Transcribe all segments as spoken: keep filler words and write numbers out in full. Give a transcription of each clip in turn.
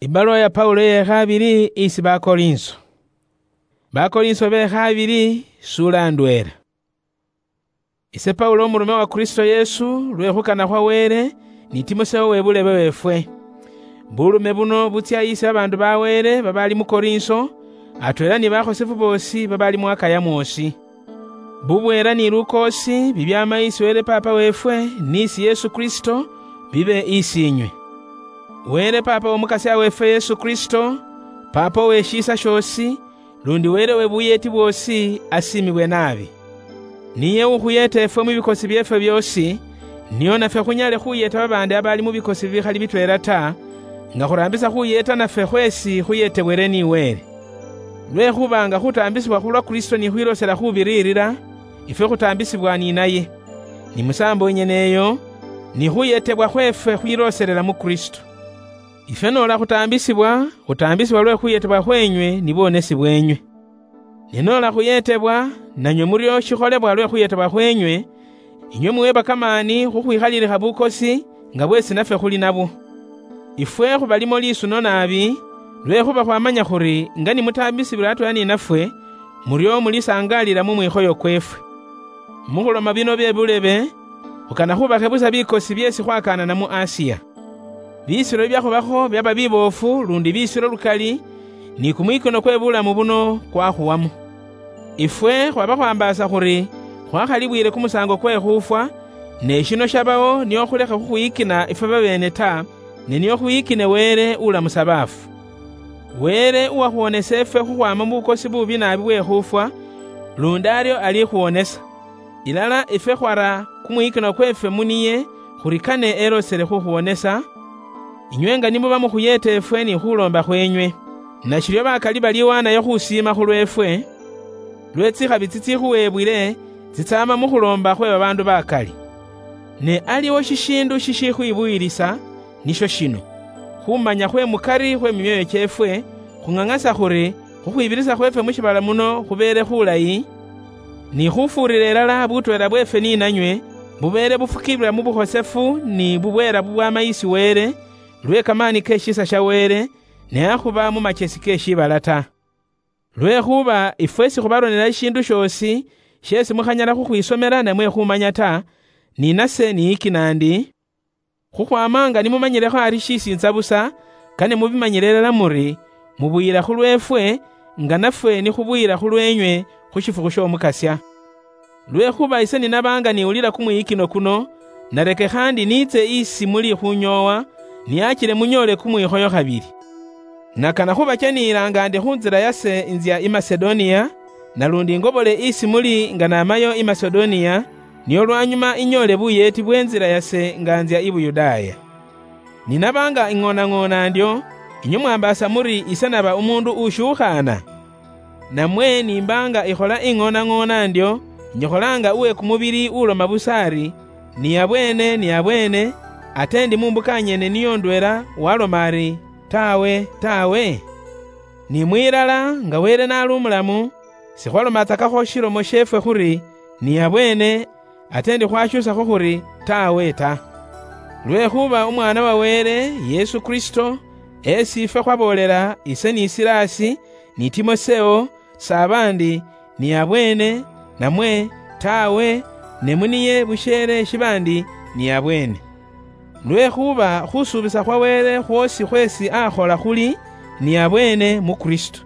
Ibaluwa ya Paulo yekhabili isi Bakorinso. Bakorinso bekhabili, sula ndwela. Ise Paulo, omurume wa Kristo Yesu, lwe khukana khwa Wele, ni Timoseo webulebe wefwe. Bulume buno butsia isi babandu ba Wele babali mu Korinso, atwela ni bakhosefu bosi babali mu Akaya mwosi. Bubwela ni lukoosi bibiama isi Wele Papa wefwe ni isi Yesu Kristo, bibe isi inywe. Wele Papa w'Omukasia wefwe Yesu Kristo, Papa oweshiisa shiosi, lundi Wele we buyeeti bwoosi, asiimibwe naabi. Niye ukhuyeeta efwe mu bikosi byeefwe byoosi, nio nafwe khunyale khuyeeta babaandi abaali mu bikosi bikhali bitweela ta, nga khuraambisa khuyeeta nafwe khweesi khuyeetebwele ni Wele. Lwekhuba nga khutaambisibwa khulwa Kristo ni khwiloosela khubiriirira, ifwe khutaambisibwa ni naye. Ni musaambo yenyene eyo, ni khuyeetebwa khweefwe khwilooselela mu Kristo. Ifwe noola khutaambisibwa, khutaambisibwa lwe khuyeetebwa khweenywe ni bwonesi bweenywe. Ne noola khuyeetebwa, nanywe murio shikholebwa lwe khuyeetebwa khweenywe, inywe muweba kamaani khukhwikhalilikha bukosi nga bweesi nafwe khuli nabwo. Ifwe khubalimo lisuno naabi, lwekhuba khwamanya khuri nga nimutaambisibwile atweela ninafwe, murio mulisangaalila mu mwikhoyo kweefwe. Mukhuloma bino bye bulebe, khukana khubakhe busa bikosi byeesi khwakaanana mu Asiya. Bisiro byakhubakho byaba biboofu lundi bisiro lukali, ni kumwikino kwe bulamu buno kwakhuwamo. Ifwe khwaba khwambaasa khuri khwakhalibwile kumusaango kwe khufwa, ne shino shabawo nio khulekhe khukhwiyikina ifwe babeene ta, ne nio khwiyikine Wele ulamusa baafu. Wele uwakhwonesa ifwe khukhwama mu bukosi bubi naabi bwe khufwa, lundi ario alikhwonesa. Ilala ifwe khwara kumwikino kweefwe mu niye, khuri kane elosele khukhwonesa, inywe nga nimuba mukhuyeeta efwe ni khuloomba khweenywe. Nashiryo bakali baliwaanayo khusiima khulweefwe, lwe tsikhabi tsitsikhuweebwile tsitsaama mu khuloomba khwe babaandu bakali. Ne aliwo shishiindu shishikhwibuyilisa, nisho shino, khumanya khwe mukari khwe mimyoyo kyeefwe, khung'ang'asa khuri khukhwibirisa khweefwe mu shiibala muno khubeele khulayi, ni khufuurira ilala butweela bweefwe ni nanywe, bubeele bufukibwila mu bukhosefu ni bubweela bubwama isi Wele, lwe kamaani ke shiisa sha Wele, ne akhuba mu machesi ke shiibala ta. Lwekhuba ifwe sikhubaronela shishiindu shoosi sheesi mukhanyala khukhwisomela namwe khumanya ta, ni nase niyikina ndi, khukhwama nga nimumanyilekho ari shisintsa busa, kane mubimanyile ilala muri, mubuyila khulweefwe, nga nafwe nikhubuyila khulweenywe khu shifukhu sh'Omukasia. Lwekhuba ise ninaba nga niwulila kumwiyikino kuno, narekekha ndi niitse isi muli khunyoowa, niachile munyoole kumwikhoyo khabili. Nakana khubacheniila nga ndi khunzila yase inzia i Masedonia, nalundi ngobole isi muli nga namayo i Masedonia, nio lwanyuma inyoole buyeeti bwenzila yase nga nzia i Buyudaaya. Ninaba nga ing'onang'ona ndyo, inywe mwambaasa muri ise naba umuundu ushuukhaana? Namwe nimba nga ikhola ing'onang'ona ndyo, inyikhola nga uwe kumubili uloma busa ari, "Ni abweene, ni abweene," ate ndi mu mbuka nyene niyo ndweela waloma ari, "Tawe, tawe"? Ni mwilala, nga Wele nali umulamu, sikhwalomatsakakho shilomo sheefwe khuri, "Ni abweene," ate ndi khwashuusakho khuri, "Tawe ta." Lwekhuba Umwaana wa Wele, Yesu Kristo, esi ifwe khwaboolela, ise ni Silasi, ni Timoseo, s'abandi, "Ni abweene," namwe, "Tawe," ne mu niye busheele shibandi, "Ni abweene." Lwekhuba khusuubisa khwa Wele khwoosi khweesi akhola khuli, "Ni abweene mu Kristo."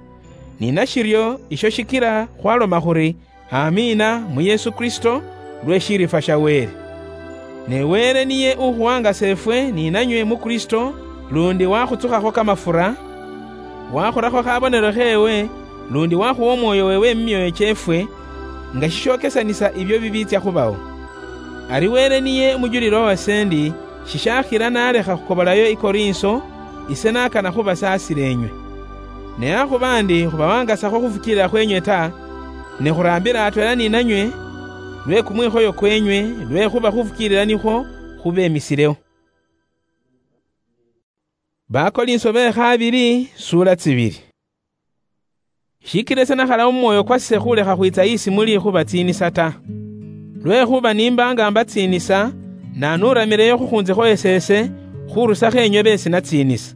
Ni nashiryo isho shikila khwaloma khuri, "Amiina mu Yesu Kristo," lwe shirifa sha Wele. Ne Wele niye ukhuwangasa efwe ni nanywe mu Kristo, lundi wakhutsukhakho kamafura, wakhurakho khabonelo kheewe, lundi wakhuwa Omwoyo weewe mu myoyo kyeefwe, nga shishokesanisa ibyo bibiitsya khubawo. Ari Wele niye umujulilo wase ndi, shishakhila nalekha khukobolayo i Korinso, ise nakana khubasaasila enywe. Ne akhuba ndi khubawangasakho khufukiilila khwenywe ta, ne khuraambila atweela ni nanywe lwe kumwikhoyo kwenywe, lwekhuba khufukiilila nikhwo khubemisilewo. Bakolinso be khabili, sura tsibili. Shikila ise nakhala mu mwoyo kwase khulekha khwitsa isi muli khubatsiinisa ta. Lwekhuba nimba nga mbatsiinisa, nanuuramileyo khukhunzikho esese, khurusakho enywe beesi natsiinisa.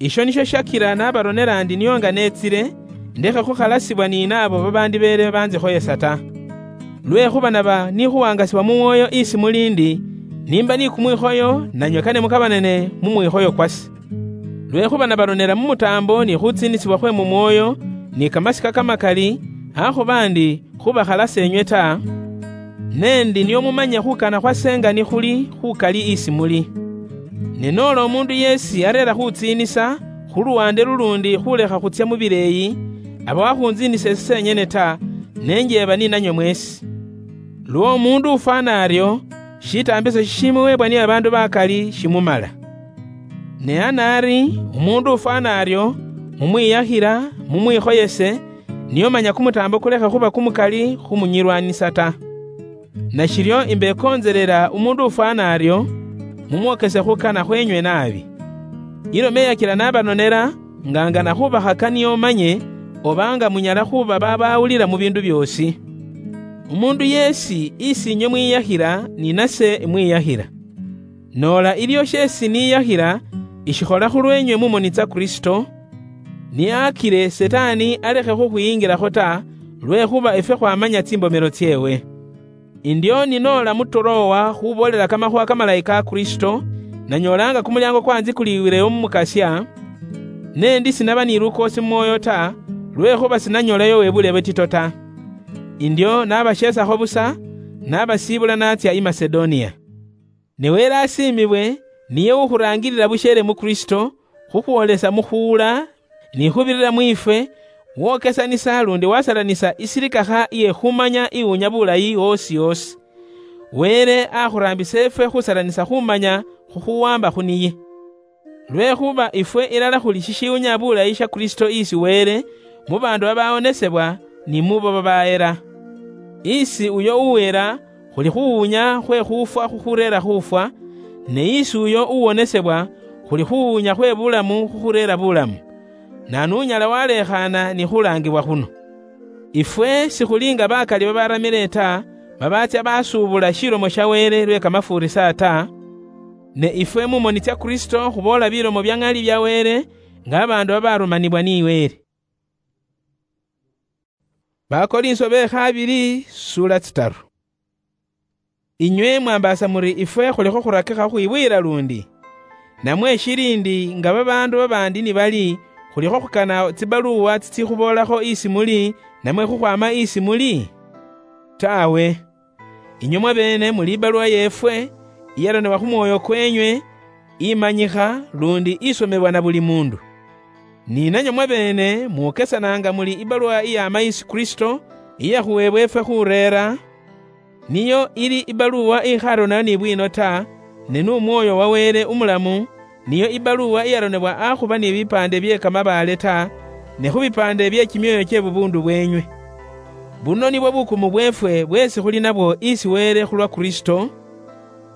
Isho nisho shakira nabaronera ndi nio nga netsire, ndekhe khukhalasibwa ni naabo babandibeere banzikhoyesa ta. Lwekhuba naba nikhuwangasibwa mu mwoyo isi muli ndi, nimba ni kumwikhoyo, nanywe kane mukabanane mu mwikhoyo kwase. Lwekhuba nabaronera mu mutaambo ni khutsiinisibwa khwe mu mwoyo, ni kamasika kamakali, akhuba ndi khubakhalasa enywe ta, ne ndi nio mumanye khukana khwase nga nikhuli khukali isi muli. Ne noola omuundu yeesi areera khutsiinisa khu luwande luluundi khulekha khutsia mu bileeyi, aba wakhuntsiinisa ese senyene ta, ne njeeba ni nanywe mweesi. Lwa omuundu ufwana ario, shitaambiso shishimuweebwa ni babaandu bakali shimumala. Ne anaari, umuundu ufwana ario, mumwiyakhira, mumwikhoyese, nio manya kumutaambo kulekhe khuba kumukali khumunyilwanisa ta. Nashiryo imbekoonzelela umuundu ufwana ario, mumwokese khukana khwenywe naabi. Ilomo eyakila nabanonela, nga ngana khubakhaka nio manye, oba nga munyala khuba babawulila mu biindu byoosi. Umuundu yeesi isi inywe mwiyakhila, ni nase imwiyakhila. Noola ilio sheesi niyakhila, ishikhola khulweenywe mu moni tsa Kristo, ni akile Sitaani alekhe khukhwiyingilakho ta, lwekhuba efwe khwamanya tsimbomelo tseewe. Indio ninoola mu Turowa khuboolela kamakhuwa kamalayi ka Kristo, nanyoolanga kumulyango kwanzikuliwileyo mu Mukasya, ne ndi sinaba ni lukoosi mu mwoyo ta, lwekhuba sinanyoolayo webule bwetito ta. Indio nabasheesakho busa, nabasiibula natsia i Masedonia. Ne Wele asiimibwe, niye ukhuraangilila busheele mu Kristo, khukhwoolesa mu khuula, ni khubirira mwiifwe, wokesanisa lundi wasalanisa isilikakha iye khumanya iwunya bulayi woosi woosi. Wele akhuraambisa efwe khusalanisa khumanya khukhuwamba khu niye. Lwekhuba ifwe ilala khuli shishiwunya bulayi sha Kristo isi Wele, mu baandu babawonesebwa, ni mubo babaera. Isi uyo uwera, khuli khuwunya khwe khufwa khukhureera khufwa, ne isi uyo uwonesebwa, khuli khuwunya khwe bulamu khukhureera bulamu. Naanu unyala walekhaana ni khulaangibwa khuno? Ifwe sikhuli nga bakali babaramile ta, babatsya basuubula shilomo sha Wele lwe kamafuurisa ta, ne ifwe mu moni tsya Kristo khuboola bilomo bya ŋali bya Wele, nga babaandu babarumanibwa ni Wele. Bakorinso be khabili, sura tsitaru. Inywe mwambaasa muri ifwe khulikho khurakikha khukhwibuyila lundi? Namwe shili ndi nga babaandu babaandi ni bali, khulikho khukana tsibaluwa tsitsiikhuboolakho isi muli, namwe khukhwaama isi muli? Taawe. Inywe mwabeene muli ibaluwa yeefwe, iyaronebwa khu mwoyo kwenywe, imanyikha, lundi isomebwa na buli muundu. Ni nanywe mwabeene mukesananga muli ibaluwa iyaama isi Kristo, iyakhuweebwa efwe khureera, niyo ili ibaluwa ikharonera ni bwiino ta, ne nu Mwooyo wa Wele umulamu, niyo ibaluwa iyaronebwa akhuba ni bipaande bye kamabaale ta, ne khu bipaande bye kimyoyo kye bubuundu bwenywe. Buno nibwo bukumu bweefwe bweesi khuli nabwo isi Wele khulwa Kristo,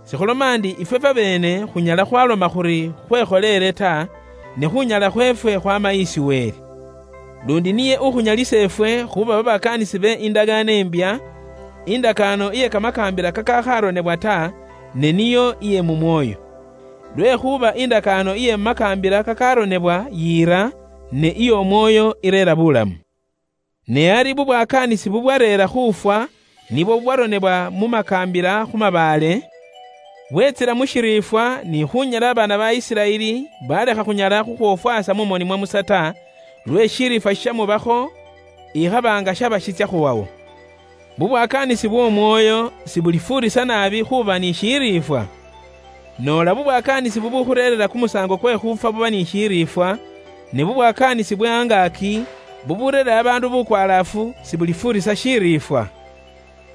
sikhuloma ndi ifwe fwabeene khunyala khwaloma khuri khwekholeele ta, ne khunyala khweefwe khwama isi Wele. Lundi niye ukhunyalisa efwe khuba babakaanisi be indagaano imbya, indakaano iye kamakaambila kakakharonebwa ta, ne niyo iye mu Mwooyo. Lwekhuba indakaano iye mu makaambila kakaronebwa yiira, ne iy'Omwooyo ireera bulamu. Ne ari bubwakaanisi bubwareera khufwa, nibwo bubwaronebwa mu makaambila khu mabaale, bwetsila mu shiriifwa, ni khunyala abaana ba Isiraeli balekha khunyala khukhwofwasa mu moni mwa Musa ta, lwe shiriifwa shishamubakho, ikhaba nga shaba shitsya khuwawo. Bubwakaanisi bw'Omwooyo sibulifuurisa naabi khuba ni shiriifwa? Noola bubwakaanisi bubukhureerera kumusaango kwe khufwa buba ni shiriifwa, ne bubwakaanisi bwe angaaki buburerera abaandu bukwalaafu sibulifuurisa shiriifwa?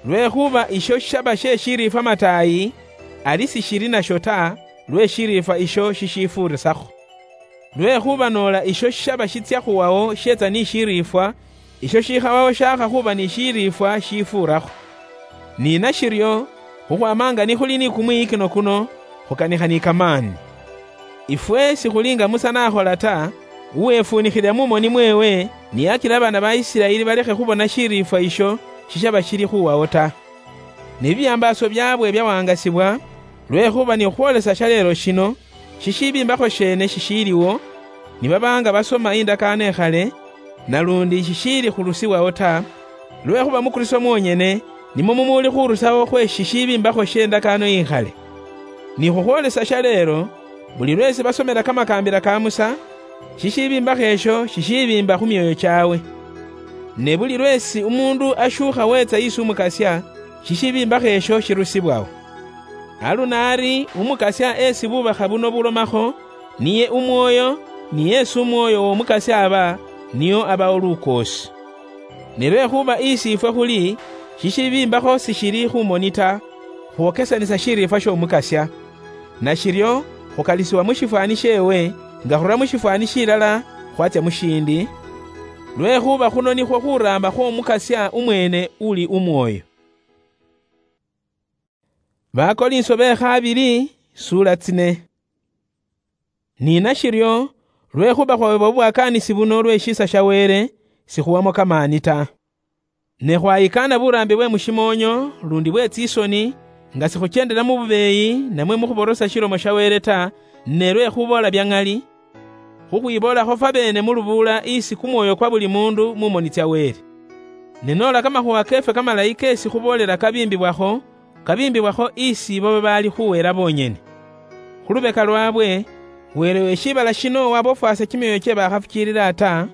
Lwekhuba isho shishaba she shiriifwa mataayi, ali sishili nasho ta, lwe shiriifwa isho shishifuurisakho. Lwekhuba noola isho shishaba shitsya khuwawo sheetsa ni shiriifwa, isho shikhawawo shaakha khuba ni shiriifwa shifuurakho. Ni nashiryo, khukhwama nga nikhuli ni kumwiyikino kuno, khukanikha ni kamaani. Ifwe sikhuli nga Musa nakhola ta, uwefuunikhile mu moni mweewe, niyakila abaana ba Isiraeli balekhe khubona shiriifwa isho shishaba shili khuwawo ta. Ne bibyambaaso byaabwe byawangasibwa, lwekhuba ni khukhwolesa shaleelo shino, shishibimbakho sheene shishiliwo, nibaba nga basoma indakaano ikhale, nalundi shishiili khurusibwaho ta, lwekhuba mu Kristo mwonyene nimwo mumuuli khurusaho khwe shishibimbakho she ndakaano ikhale. Ni khukhwolesa shaleelo, buli lwesi basomela kamakaambila ka Musa, shishibimbakho esho shishibimba khu myoyo kyawe. Ne buli lwesi umuundu ashuukha weetsa isi Umukasya, shishibimbakho esho shirusibwaho. Aluno ari Umukasya esi bubakha buno bulomakho, niye Umwoyo, ni yesi Umwoyo w'Omukasya aba, niyo abawo lukoosi. Ne lwekhuba isi ifwe khuli, shishibimbakho sishili khu moni ta, khwokesanisa shiriifwa sh'Omukasya. Nashiryo, khukalisiwa mu shifwani sheewe, nga khurula mu shifwani shilala khwatsya mu shindi, lwekhuba khuno nikhwo khuraamba khw'Omukasya umweene uli Umwoyo. Bakolinso be khabili, suula tsine. Ni nashiryo, lwekhuba khwawebwa bubwakaanisi buno lwe shiisa sha Wele, sikhuwamo kamaani ta. Ne khwayikaana buraambi bwe mu shimoonyo, lundi bwe tsisoni, nga sikhukyendela mu bubeeyi, namwe mu khuborosa shilomo sha Wele ta, ne lwe khuboola bya ŋali, khukhwiboolakho fwabeene mu lubuula isi kumwoyo kwa buli muundu mu moni tsya Wele. Ne noola kamakhuuwa keefwe kamalayi keesi khuboolela kabimbibwakho, kabimbibwakho isi ibo babaali khuweela boonyene. Khu lubeka lwaabwe, Wele we shiibala shino wabofwaasa kimyoyo kye bakhafukiilila ta,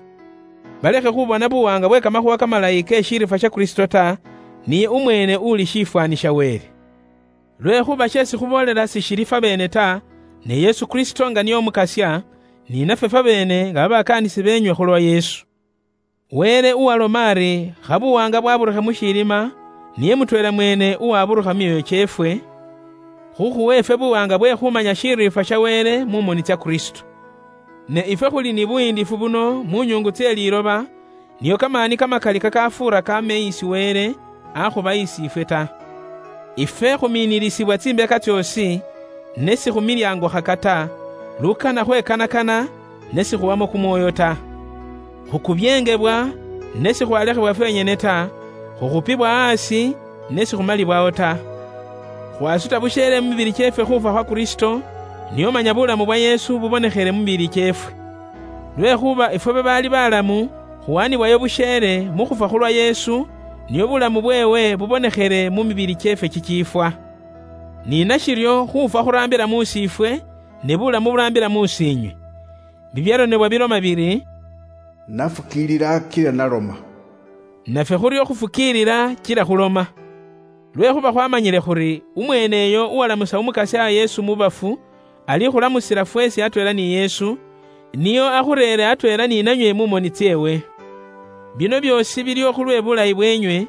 balekhe khubona buwaanga bwe kamakhuuwa kamalayi ke shiriifwa sha Kristo ta, niye umweene uli shifwani sha Wele. Lwekhuba sheesi khuboolela sishili fwabeene ta, ne Yesu Kristo nga niye Umukasya, ni nafwe fwabeene nga babakaanisi beenywe khulwa Yesu. Wele uwaloma ari, kha buwaanga bwaburukhe mu shilima, niye mutweela mweene uwaburukha mu myoyo kyeefwe, khukhuwe ifwe buwaanga bwe khumanya shiriifwa sha Wele mu moni tsya Kristo. Ne ifwe khuli ni buyiindifu buno mu nyuungu tsye liiloba, niyo kamaani kamakali kakafuura kaama isi Wele, akhuba isi ifwe ta. Ifwe khumiinilisibwa tsimbeka tsyoosi, ne sikhumilyaangukhaka ta, lukana khwekanakana, ne sikhuwamo kumwoyo ta. Khukubyeengibwa, ne sikhwalekhebwa fwenyene ta, khukhupibwa aasi, ne sikhumalibwaho ta. Khwasuta busheele mu mibili kyeefwe khufwa khwa Kristo, nio manya bulamu bwa Yesu bubonekhele mu mibili kyeefwe. Lwekhuba ifwe babaali balamu, khuwanibwayo busheele mu khufwa khulwa Yesu, nio bulamu bweewe bubonekhele mu mibili kyeefwe kikiifwa. Ni nashiryo khufwa khuraambila mu siifwe, ne bulamu buraambila mu siinywe. Bibyaronebwa biloma biri, "Nafukiilila kila naloma." Nafwe khuryo khufukiilila kila khuloma. Lwekhuba khwamanyile khuri umweeneyo uwalamusa Umukasya Yesu mu bafu, alikhulamusila fweesi atweela ni Yesu, niyo akhureere atweela ni nanywe mu moni tsyeewe. Bino byoosi biliho khulwe bulayi bweenywe,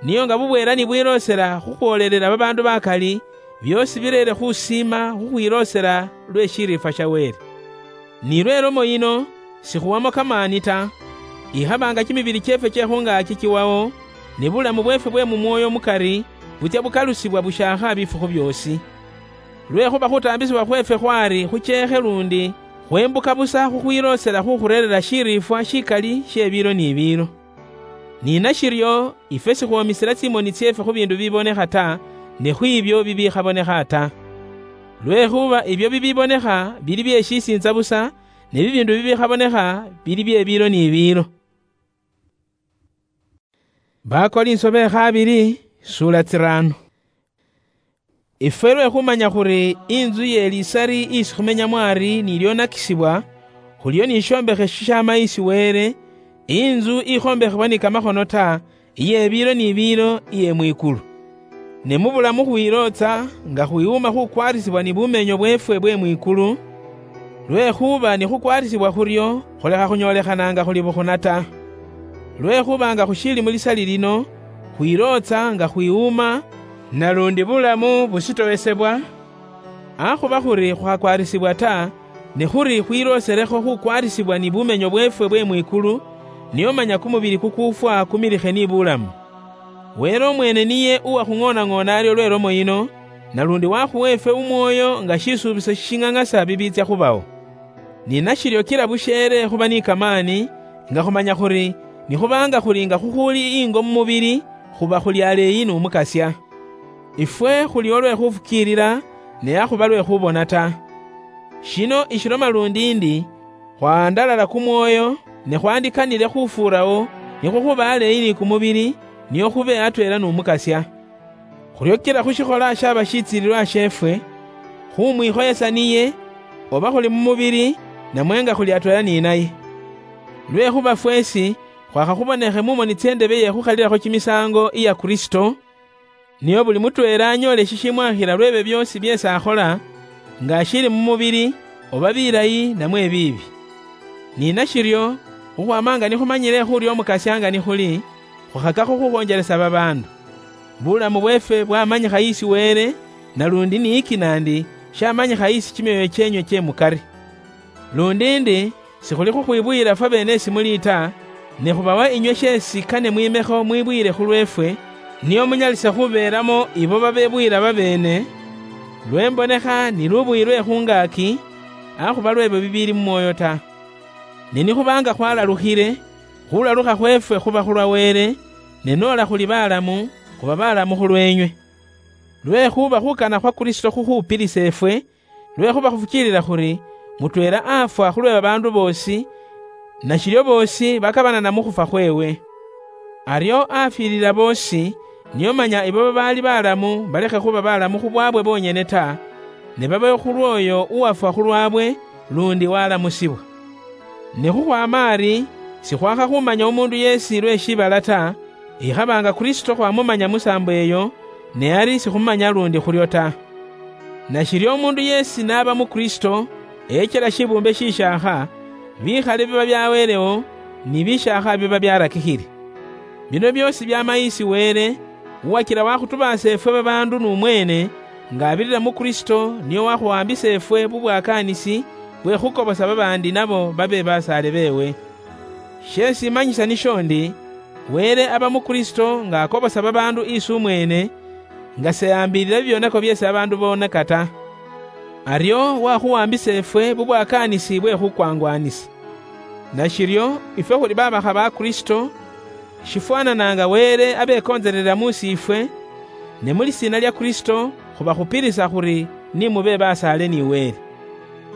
niyo nga bubweela ni bwiloosela khukhwoolelela babaandu bakali, byoosi bireere khusiima khukhwiloosela lwe shiriifwa sha Wele. Ni lwe lomo yino, sikhuwamo kamaani ta. Ikhaba nga kimibili kyeefwe kye khungaaki kiwawo, ne bulamu bweefwe bwe mu mwoyo mukari butsya bukalusibwa bushaakha bifukhu byoosi. Lwekhuba khutaambisibwa khweefwe khwali khucheekhe lundi khwembuka busa khukhwiloosela khukhureerera shiriifwa shikali she biilo ni biilo. Ni nashiryo, ifwe sikhwomisila tsimoni tsyeefwe khu biindu bibonekha ta, ne khwiibyo bibikhabonekha ta. Lwekhuba ibyo bibibonekha bili bye shisiintsa busa, ne bibiindu bibikhabonekha bili bye biilo ni biilo. Bakolinso be khabili, suula tsiraano. Ifwe lwe khumanya khuri inzu ye lisari isi khumenyamo ari nilyonakisibwa, khulyo ni shiombekhe shishaama isi Wele, inzu ikhombekhebwa ni kamakhono ta, iye biilo ni biilo iye mwikulu. Ne mu bulamu khwilootsa nga khwiwuma khukwarisibwa ni bumenyo bweefwe bwe mwikulu, lwekhuba ni khukwarisibwa khuryo, khulekha khunyoolekhananga khuli bukhuna ta. Lwekhuba nga khushiili mu lisali lino, khwilootsa nga khwiwuma, nalundi bulamu busitowesebwa, akhuba khuri khukhakwarisibwa ta, ne khuri khwilooselekho khukwarisibwa ni bumenyo bweefwe bwe mwikulu, nio manya kumubili kukuufwa kumilikhe ni bulamu. Wele omweene niye uwakhung'oonang'oona aryo lwe lomo yino, nalundi wakhuwa ifwe Umwoyo nga shisuubisho shishing'ang'asa bibiitsya khubawo. Ni nashiryo kila busheele khuba ni kamaani, nga khumanya khuri, nikhuba nga khuli nga khukhuuli ingo mu mubili, khuba khuli aleeyi n'Umukasya. Ifwe khuli olwe khufukiilila, ne akhuba lwe khubona ta. Shino ishiloma lundi ndi, Khwahandalala kumwoyo, ne khwandikanile khufuurawo, nikwo khuba aleeyi ni kumubili, nio khube atweela n'Omukasya. Khurio kila khushikhola shaba shitsiililwa sheefwe, khumwikhoyesa niye, oba khuli mu mubili, namwe nga khuli atweela ni naye. Lwekhuba fweesi khwakhakhubonekhe mu moni ts'endebe ye khukhalilakho kimisaango iya Kristo, nio buli mutweela anyoole shishimwakhila lw'ebyo byoosi byeesi akhola, nga ashiili mu mubili, oba bilayi namwe biibi. Ni nashiryo, khukhwaama nga nikhumanyile khuri Omukasya nga nikhuli, khukhakakho khukhonjelesa babaandu. Bulamu bweefwe bwamanyikha isi Wele, nalundi ni ikinaandi shamanyikha isi kimyoyo kyeenywe kye mukari. Lundi ndi, sikhuli khukhwibuyila fwabeene esi muli ta, ne khubawa inywe sheesi kane mwimekho mwibuyile khulweefwe, nio munyalise khubeelamo ibo babebuyila babeene, lwembonekha ni lubuyi lwe khu ngaaki, akhuba lw'ebyo bibiili mu mwoyo ta. Ne nikhuba nga khwalalukhile, khulalukha khweefwe khuba khulwa Wele, ne noola khuli balamu, khuba balamu khulweenywe. Lwekhuba khukana khwa Kristo khukhupilisa efwe, lwekhuba khufukiilila khuri mutweela afwa khulwe babaandu boosi, nashiryo boosi bakabanana mu khufwa khweewe. Aryo afwilila boosi, nio manya ibo babaali balamu balekhe khuba balamu khubwabwe bonyene ta, ne babe khulw'oyo uwafwa khulwabwe, lundi walamusibwa. Ne khukhwaama ari, sikhwakha khumanya omundu yeesi lwe shiibala ta, ikhaba nga Kristo khwamumanya musaambo eyo, ne ari sikhumanya lundi khuryo ta. Nashiryo omundu yeesi n'aba mu Kristo, eyechela shibuumbe shishaakha, bikhale biba byawelewo, ni bishaakha biba byarakikhile. Bino byoosi byaama isi Wele, uwachila wakhutubaasa efwe babaandu n'umweene, nga abirira mu Kristo, nio wakhuwambisa efwe bubwakaanisi bwe khukobosa babaandi nabo babe basaale beewe. She simanyisa nisho ndi, Wele aba mu Kristo nga akobosa babaandu isi umweene, nga seyaambilila bibyonako byeesi babaandu boonaka ta. Aryo wakhuwambisa efwe bubwakaanisi bwe khukwangwanisa. Nashiryo, ifwe khuli babakha ba Kristo, shifwanana nga Wele abekontselela mu siifwe, ne mu lisiina lya Kristo khubakhupilisa khuri ni mube basaale ni Wele.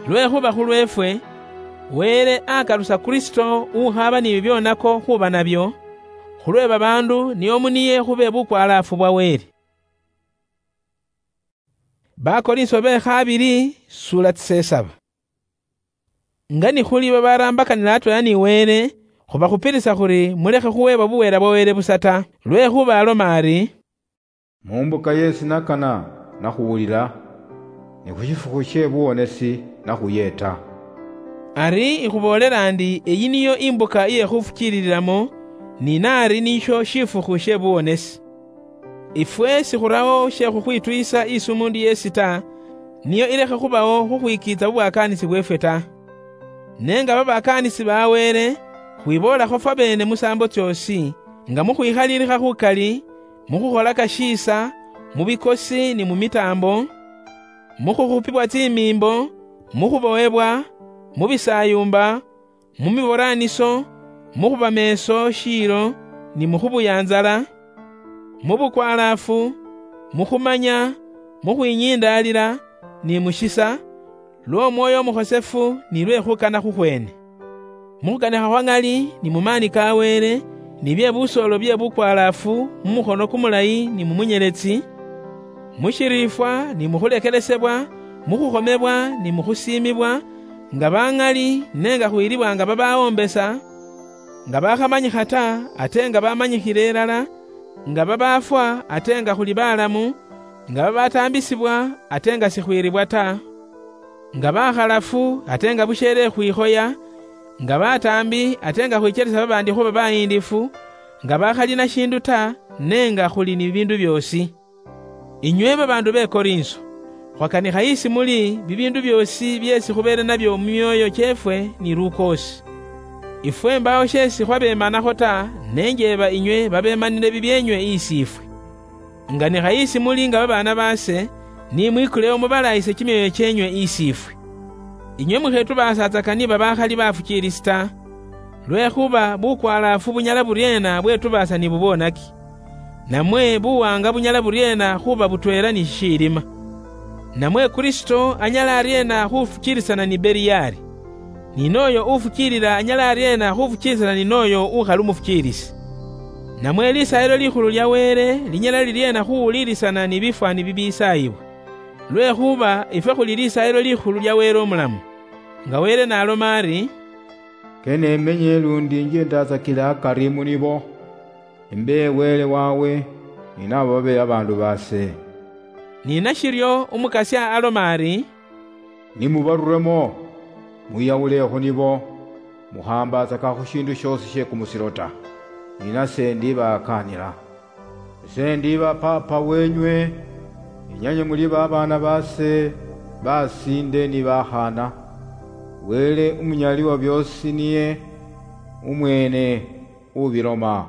Lwekhuba khulweefwe, Wele akalusa Kristo ukhaaba ni bibyonako khuba nabyo, khulwe babaandu nio mu niye khube bukwalaafu bwa Wele. Bakorinso be khabili, sura tsisesaba. Nga nikhuli babaraambakanila atweela ni Wele, khubakhupilisa khuri mulekhe khuweebwa buweela bwa Wele busa ta, lwekhuba aloma ari, "Mu mbuka yeesi nakana nakhuwulila, ni khu shifukhu she buwonesi nakhuyeeta." Ari ikhuboolela ndi eyi niyo imbuka iye khufukiilililamo, ni naari nisho shifukhu she buwonesi. Ifwe sikhuraho she khukhwituyisa isi umuundu yeesi ta, niyo ilekhe khubawo khukhwikiitsa bubwakaanisi bweefwe ta. Ne nga babakaanisi ba Wele, khwiboolakho fwabeene musaambo tsyoosi, nga mu khwikhaliilikha khukali, mu khukholaka shiisa, mu bikosi ni mu mitaambo, mu khukhupibwa tsimiimbo, mu khubowebwa, mu bisaayumba, mu miboraaniso, mu khuba meeso shiilo ni mu khubuyanzala, mu bukwalaafu, mu khumanya, mu khwinyindaalila, ni mu shisa, lw'Omwoyo Omukhosefu ni lwe khukana khukhweene. Mu khukanikha khwa ŋali ni mu maani ka Wele, ni bye busoolo bye bukwalaafu mu mukhono kumulayi ni mu munyeletsi, mu shiriifwa ni mu khulekelesebwa, mu khukhomebwa ni mu khusiimibwa, nga ba ŋali ne nga khwilibwa nga babawoombesa, nga bakhamanyikha ta, ate nga bamanyikhile ilala, nga babaafwa, ate nga khuli balamu, nga babataambisibwa, ate nga sikhwiribwa ta, nga bakhalafu, ate nga busheele khwikhoya, nga bataambi, ate nga khwikyelesa babaandi khuba bayiindifu, nga bakhali na shiindu ta, ne nga khuli ni bibiindu byoosi. Inywe babaandu be Korinso, khwakanikha isi muli bibiindu byoosi byeesi khubeele nabyo mu myooyo kyeefwe ni lukoosi. Ifwe mbaawo sheesi khwabeemanakho ta, ne njeeba inywe babeemanile bibyeenywe isiifwe. Nganikha isi muli nga babaana baase, ni mwikulewo mubalaayise kimyoyo kyenywe isiifwe. Inywe mukhetubaasaatsaka niba bakhali bafukiilisi ta, lwekhuba bukwalaafu bunyala buryeena bwetubaasa ni bubwonaki? Namwe buwaanga bunyala buryeena khuba butweela ni shishiilima? Namwe Kristo anyala aryeena khufukiilisana ni Beliali? Ni noyo ufukiilila anyala aryeena khufukiilisana ni noyo ukhali umufukiilisi? Namwe Lisaayilo Likhulu lya Wele linyala liryeena khuwuliilisana ni bifwaani bibiisaayibwa? Lwekhuba ifwe khuli Lisaayilo Likhulu lya Wele umulamu. Nga Wele n'aloma ari, "Kenemenye lundi inje ndatsakile akari munibo, imbe Wele wawe, ni nabo babe babaandu baase." Ni nashiryo Umukasya aloma ari, "Ni mubaruremo, mwiyawule khu nibo, mukhambatsaka khu shindu shiosi shie kumusiro ta, ni nase ndibakaanila. Ise ndiba Papa wenywe, inyanye muli babaana baase, basinde ni bakhaana. Wele umunyali wa biosi niye umwene ubiloma."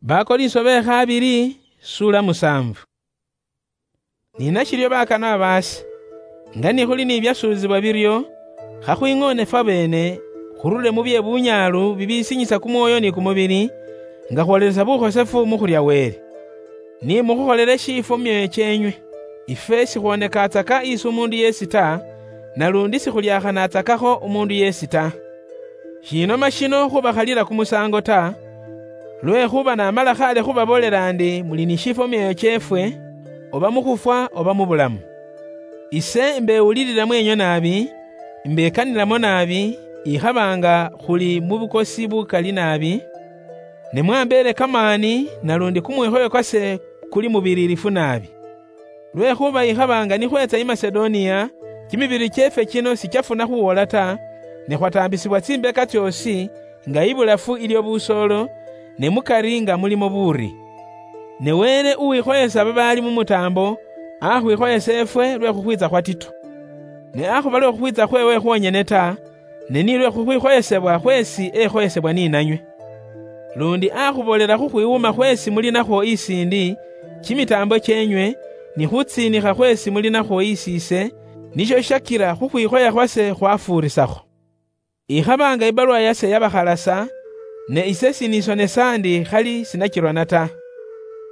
Bakorinso be khabili, sura musanvu. Ni nashiryo bakanwa baase, nga ni khuli ni byasuuzibwa biryo, khakhwing'oone fwabeene, khurule mu bye bunyaalu bibisinyisa kumwoyo ni kumubili, nga khwoleresa bukhosefu mu khulya Wele. Ni mukhukholele shiifwo mu myoyo kyeenywe. Ifwe sikhwonekaatsaka isi umuundu yeesi ta, nalundi sikhulyaakhanatsakakho umuundu yeesi ta. Shiinoma shino khubakhalila kumusaango ta, lwekhuba namala khale khubaboolela ndi muli ni shiifwo mu myoyo kyeefwe, oba mu khufwa oba mu bulamu. Ise imbewulilila mweenywe naabi, imbekanilamo naabi, ikhaba nga khuli mu bukosi bukali naabi, ne mwambeele kamaani, nalundi kumwikhoyo kwase kuli mubiririfu naabi. Lwekhuba ikhaba nga nikhweetsa i Masedoniya, kimibiri kyeefwe kino sikyafuna khuwoola ta, ne khwataambisibwa tsimbeka tsyoosi, nga ibulafu ilyo busoolo, ne mukari nga mulimo buuri. Ne Wele uwikhoyesa babaali mu mutaambo, akhwikhoyesa efwe lwe khukhwiitsa khwa Tito. Ne akhuba lwe khukhwiitsa khweewe khwonyene ta, ne ni lwe khukhwikhoyesebwa khweesi ekhoyesebwa ni nanywe. Lundi akhuboolela khukhwiwuma khweesi muli nakhwo isiindi, kimitaambo kyeenywe, ni khutsiinikha khweesi muli nakhwo isiise, nisho shakila khukhwikhoya khwase khwafuurisakho. Ikhaba nga ibaluwa yase yabakhalasa, ne ise sinisonesa ndi khali sinachirwana ta.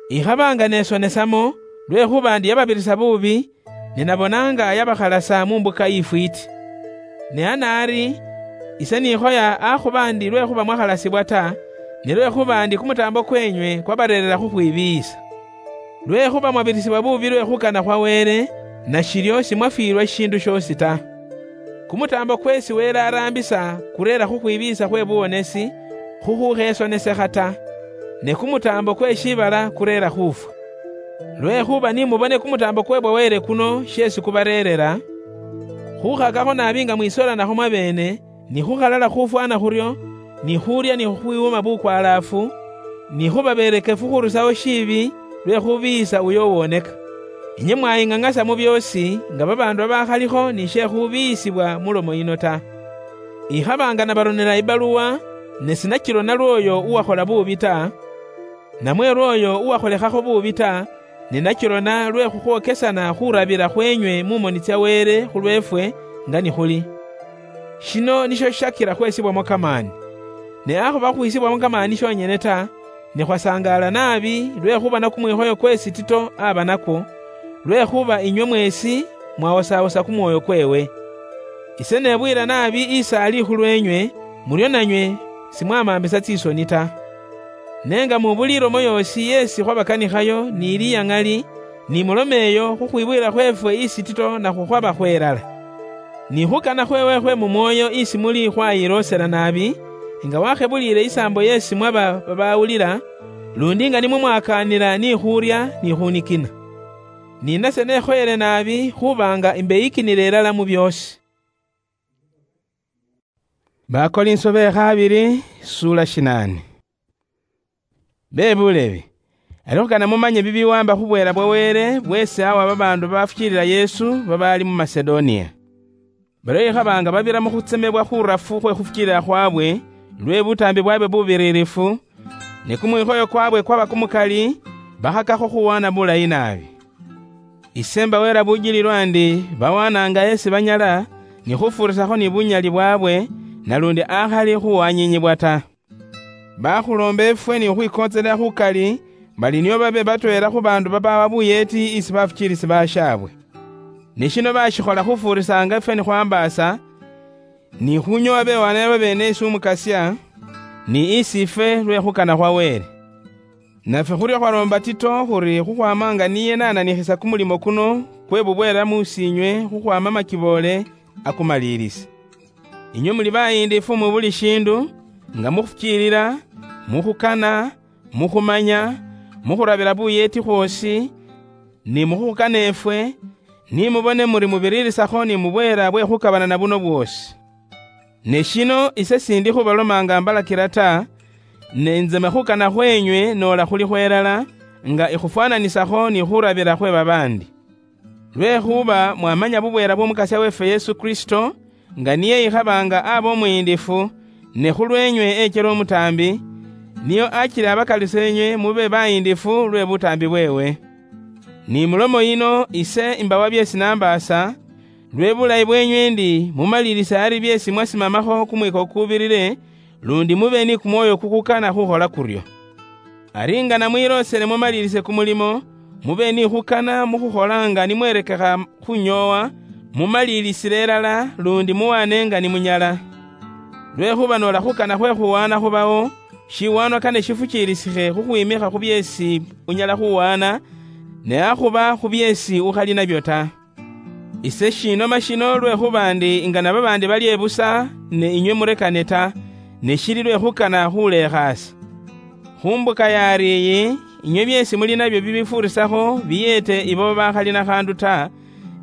Ikhaba nga nesonesamo, lwekhuba ndi yababirisa buubi, ne nabona nga yabakhalasa mu mbuka ifwiiti. Ne hanaari, ise nikhoya akhuba ndi lwekhuba mwakhalasibwa ta, ne lwekhuba ndi kumutaambo kwenywe kwabareerera khukhwibiiyisa. Lwekhuba mwabirisibwa buubi lwe khukana khwa Wele, nashiryo simwafwiirwa shindu shoosi ta. Kumutaambo kweesi Wele araambisa kureera khukhwibiiyisa khwe buwonesi, khukhukhesonekha ta, ne kumutaambo kwe shiibala kureera khufwa. Lwekhuba ni mubone kumutaambo kwe bwa Wele kuno sheesi kubareerera, khukhakakho naabi nga mwisolanakho mwabeene, ni khukhalala khufwana khuryo, ni khulya ni khukhwiwuma bukwalaafu, ni khuba berekefu khurusaho shiibi lwe khubiiyisa uyo uwoneka. Inywe mwaying'ang'asa mu byoosi nga babaandu babakhalikho ni she khubiiyisibwa mu lomo yino ta. Ikhaba nga nabaronera ibaluwa, ne sinachirona lw'oyo uwakhola buubi ta, namwe lw'oyo uwakholekhakho buubi ta, ne nachirona lwe khukhwokesana khurabira khwenywe mu moni tsya Wele khulweefwe nga nikhuli. Shino nisho shishakira khwesibwamo kamaani. Ne akhuba khwisibwamo kamaani shonyene ta, ne khwasangaala naabi lwe khubona kumwikhoyo kweesi Tito aba nakwo, lwekhuba inywe mweesi mwawosawosa kumwoyo kweewe. Ise nebuyila naabi isaali khulweenywe, muryo nanywe simwamambisa tsisoni ta. Ne nga mu buli ilomo yoosi yeesi khwabakanikhayo ni liyaŋali, ni mulome eyo khukhwibuyila khweefwe isi Tito nakhwo khwaba khwelala. Ni khukana khweewe khwe mu mwoyo isi muli khwayiloosela naabi, nga wakhebuliile isaambo yeesi mwaba babawulila, lundi nga nimwo mwakaanila ni khurya ni khunikina. Ni nase nekhoyele naabi khuba nga imbeyikinile ilala mu byoosi. Bakorinso be khabili, sura shinane. Be bulebi, alikho kana mumanye bibiwamba khubwela bwa Wele bwesi awa babaandu babafukiilila Yesu babaali mu Masedonia. Baryo ikhaba nga babira mu khutsemebwa khurafu khwe khufukiilila khwabwe, lwe butaambi bwabwe bubiririfu, ne kumwikhoyo kwabwe kwaba kumukali, bakhakakho khuwana bulayi naabi. Ise mbawera bujililwa ndi bawananga esi banyala, ni khufurisakho ni bunyali bwabwe, nalundi akhali khuwanyinyibwa ta. Bakhulomba efwe ni khukhwikotselela khukali, bali nio babe batweela khu baandu babawa buyeeti isi bafukiilisi bashaabwe. Ne shino bashikhola khufuurisanga ifwe nikhwambaasa, ni khunyowa bewaanayo babeene isi Umukasya, ni isi ifwe lwe khukana khwa Wele. Nafwe khuryo khwaloomba Tito khuri khukhwama nga niye nananikhisa kumulimo kuno kwe bubweela mu siinywe khukhwama makiboole akumaliilisi. Inywe muli bayiindifu mu buli shiindu, nga mukhufukiilila, mukhukana, mukhumanya, mukhurabila buyeeti khwoosi, ni mukhukana efwe, ni mubone muri mubiriirisakho ni mubweela bwe khukabanana buno bwoosi. Ne shino ise sindi khubaloma nga mbalakila ta, ne inze me khukana khwenywe noola khuli khwelala, nga ikhufwananisakho ni khurabila khwe babaandi. Lwekhuba mwamanya bubweela bw'Omukasya weefwe Yesu Kristo, nga niye ikhabanga aba omuyiindifu, ne khulweenywe echela omutaambi, niyo achile abakalise enywe mube bayiindifu lwe butaambi bweewe. Ni mulomo yino ise imbawa byeesi nambaasa, lwe bulayi bweenywe ndi mumalilise ari byeesi mwasimamakho kumwiko kukubirire, lundi mube ni kumwoyo kukukana khukhola kuryo. Ari nga namwiloosele mumalilise kumulimo, mube ni khukana mukhukhola nga nimwerekekha khunyoowa, mumalilisile ilala, lundi muwaane nga nimunyala. Lwekhuba noola khukana khwe khuwaana khubawo, shiwaanwa kane shifukiilisikhe khukhwimikha khu byeesi unyala khuwaana, ne akhuba khu byeesi ukhali nabyo ta. Ise shinoma shino lwekhuba ndi nga na babaandi balye busa, ne inywe murekane ta, ne shili lwe khukana khulekhaasa. Khu mbuka yaari iyi, inywe byeesi muli nabyo bibifuurisakho biyeete ibo bakhali na khaandu ta,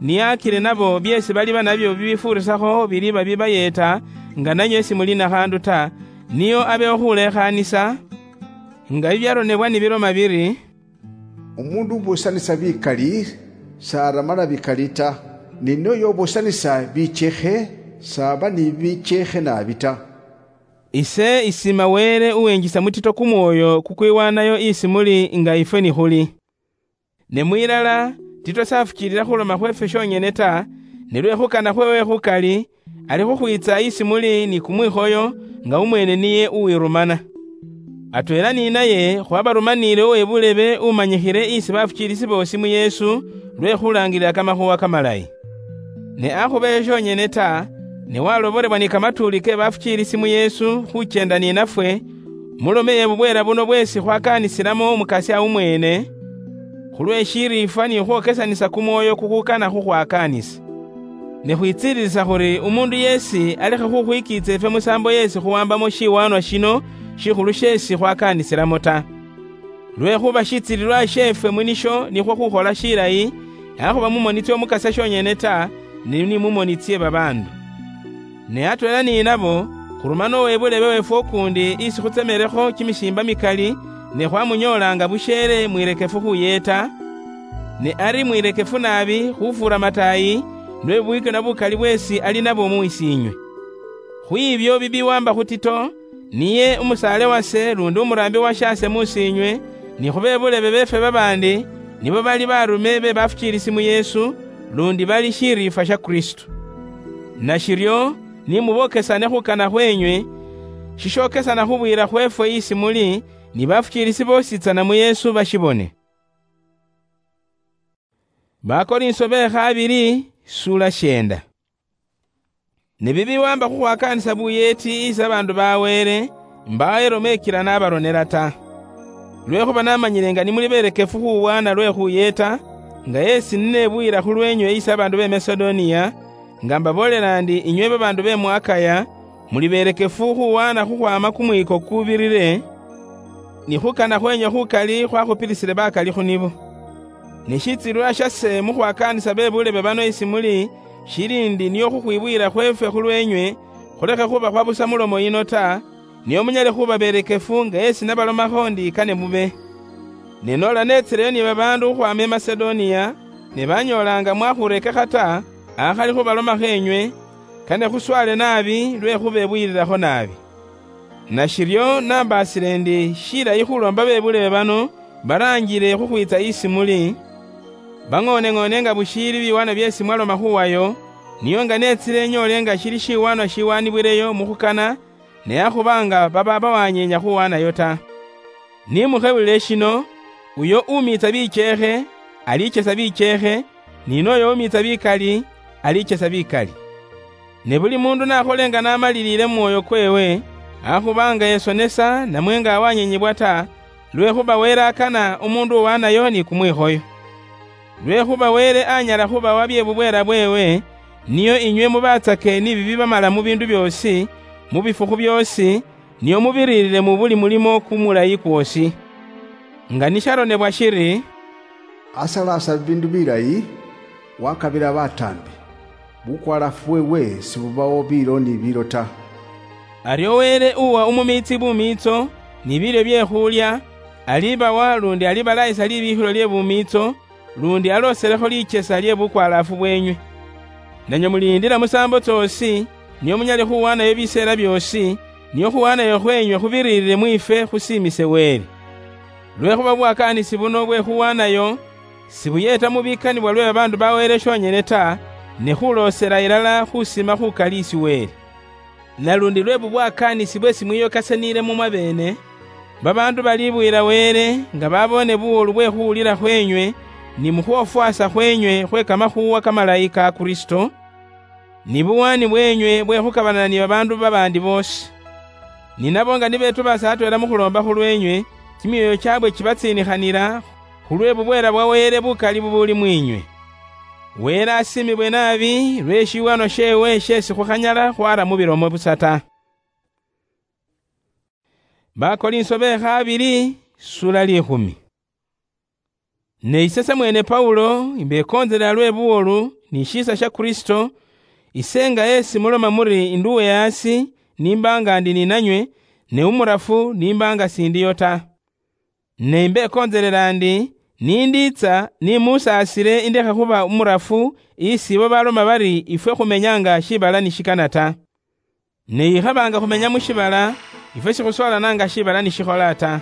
niyakire nabo byeesi baliba nabyo bibifuurisakho biliba bibayeeta nga nanywe simuli na khaandu ta, niyo abewo khulekhaanisa, nga bibyaronebwa nibiloma biri, "Umundu ubusanisa bikali, saramala bikali ta, ni noyo ubusanisa bichekhe, saba ni bichekhe naabi ta." Ise isima Wele uwenjisa mu Tito kumwoyo kukwiwanayo isi muli nga ifwe nikhuli. Ne mwilala, Tito safukiilila khuloma khweefwe shonyene ta, ne lwe khukana khweewe khukali, ali khukhwiitsa isi muli ni kumwikhoyo, nga umweene niye uwirumana. Atweela ni naye khwabarumaniile uwe bulebe umanyikhile isi bafukiilisi boosi mu Yesu, lwe khulaangilila kamakhuuwa kamalayi. Ne akhuba esho shonyene ta, ne walobolebwa ni kamatuuli ke bafukiilisi mu Yesu khukyenda ni nafwe, mulome ye bubweela buno bweesi khwakaanisilamo Umukasya umweene, khulwe shiriifwa ni khwokesanisa kumwoyo kukhukana khukhwakaanisa. Ne khwitsiililisa khuri umuundu yeesi alekhe khukhwikiitsa ifwe musaambo yeesi khuwambamo shiwaanwa shino shikhulu sheesi khwakaanisilamo ta. Lwekhuba shitsiililwa sheefwe mu nisho nikhwo khukhola shilayi, akhuba mu moni tsy'Omukasya shonyene ta, ne ni mu moni tsye babaandu. Ne atweela ni nabo, khuruma n'owebulebe weefwe ukuundi isi khutsemelekho kimisiimba mikali, ne khwamunyoolanga busheele mwirekefu khuyeeta, ne ari mwirekefu naabi khufuura mataayi, lwe bubwikina bukali bweesi ali nabwo mu isiinywe. Khwiibyo bibiwamba khu Tito, niye umusaale wase lundi umuraambi wa shaase mu siinywe, ni khu be bulebe beefwe babaandi, nibo bali baarume be bafukiilisi mu Yesu, lundi bali shiriifwa sha Kristo. Nashiryo, ni mubokesane khukana khwenywe, shishokesana khu bwiira khweefwe isi muli, ni bafukiilisi boosi tsana mu Yesu bashibone. Bakorinso be khabili, sula shenda. Ne bibiwamba khukhwakaanisa buyeeti isi abaandu ba Wele, mbaawo elomo ekila nabaronela ta. Lwekhuba namanyile nga nimuli belekefu khuwaana lwe khuyeeta, nga esi ninebuyila khulwenywe isi abaandu be Masedoniya, nga mbaboolela ndi inywe babaandu be mu Akaya, muli belekefu khuwaana khukhwaama kumwiiko kubirile, ni khukana khwenywe khukali khwakhupilisile bakali khu nibo. Ne shitsililwa shase mukhwakaanisa be bulebe bano isi muli, shili ndi niyo khukhwibuyila khweefwe khulwenywe, khulekhe khuba khwa busa mulomo yino ta, niyo munyale khuba belekefu nga esi nabalomakho ndi kane mube. Ne noola netsileyo ni babaandu khukhwaama i Masedoniya, ne banyoolanga mwakhurekekha ta, akhali khubalomakho enywe, kane khuswale naabi lwe khubebuyililakho naabi. Nashiryo nambaasile ndi shilayi khuloomba bebulebe bano baraanjile khukhwiitsa isi muli, bang'ooneng'oone nga bushiili biwaanwa byeesi mwaloma khuwayo, niyo nga neetsile nyoole nga shili shiwaanwa shiwaanibwileyo mukhukana, ne akhuba nga baba bawanyeenya khuwaanayo ta. Ni mukhebulile shino, uyo umiitsa bicheekhe, alichesa bicheekhe, ni noyo umiitsa bikali, alichesa bikali. Ne buli mundu nakholenga namalilile mu mwoyo kwewe, akhubanga yesonesa namwe nga awanyenyebwa ta, lwekhuba Wele akana umundu uwanayo ni kumwikhoyo. Lwekhuba Wele anyala khubawa bye bubwela bwewe, niyo inywe mubatsake ni bibi bamala mu bindu byoosi, mu bifukhu byoosi, niyo mubiririre mu buli mulimo kumulayi kwoosi. Nga nisharonebwa shiri, "Asalasa bibindu bilayi, wakabila bataambi, bukwalaafu bwewe sibubawo biilo ni biilo ta." Aryo Wele uwa umumiitsi bumiitso ni bilyo bye khulya, alibawa lundi alibalayisa libikhilo lye bumiitso, lundi aloselekho lichesa lye bukwalaafu bwenywe. Nanywe muliindila musaambo tsoosi, nio munyale khuwanayo biseela byoosi, nio khuwanayo khwenywe khubiriirire mwiifwe khusiimise Wele. Lwekhuba bubwakaanisi buno bwe khuwanayo, sibuyeeta mu bikanibwa lwe babaandu ba Wele shonyene ta, ne khuloosela ilala khusima khukali isi Wele. Nalundi lwe bubwakaanisi bwesi mwiyokasaniile mu mwabeene, babaandu balibuyila Wele nga baboone buwolu bwe khuwulila khwenywe, ni mu khwofwasa khwenywe khwe kamakhuuwa kamalayi ka Kristo, ni buwaani bwenywe bwe khukabanana ni babaandu babaandi boosi. Ni nabo nga nibetubaasa atweela mu khuloomba khulwenywe, kimyoyo kyaabwe kibatsiinikhanila, khulwe bubweela bwa Wele bukali bubuli mwiinywe. Wele asiimibwe naabi lwe shiwano sheewe sheesi khukhanyala khwara mu bilomo busa ta. Bakolinso be khabili, sura likhumi. Ne ise samweene Paulo, imbekoontsela lwe buwolu ni shiisa sha Kristo, ise nga esi muloma muri induwe yaasi, nimba nga ndi ni nanywe, ne umurafu nimba nga sindiyo ta. Ne imbekontselela ndi, nindiitsa nimusaasile indekhe khuba umurafu isi ibo baloma bari ifwe khumenyanga shibala nishikana ta. Ne ikhaba nga khumenya mushibala, ifwe sikhusoolana nga shibala nishikhola ta.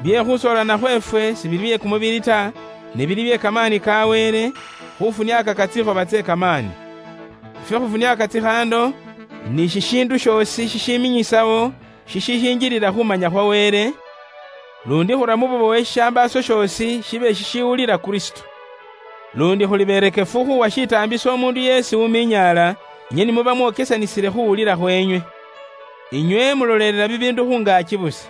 Bye khusoolana khwefwe sibili bye kumubili ta, ne bili bye kamaani ka Wele, khufuniaka tsikhoba tse kamaani. Ifwe khufuniaka tsikhando, ni shishindu shoosi shishiminyisao, shishishinjilila khumanya khwa Wele, lundi khura mu bubowe shishambaaso shoosi shibe shishiwulila Kristo. Lundi khuli berekefu khuwa shitaambiso umundu yeesi uminyaala, inywe nimuba mwokesanisile khuwulila khwenywe. Inywe mulolelela bibiindu khungaaki busa.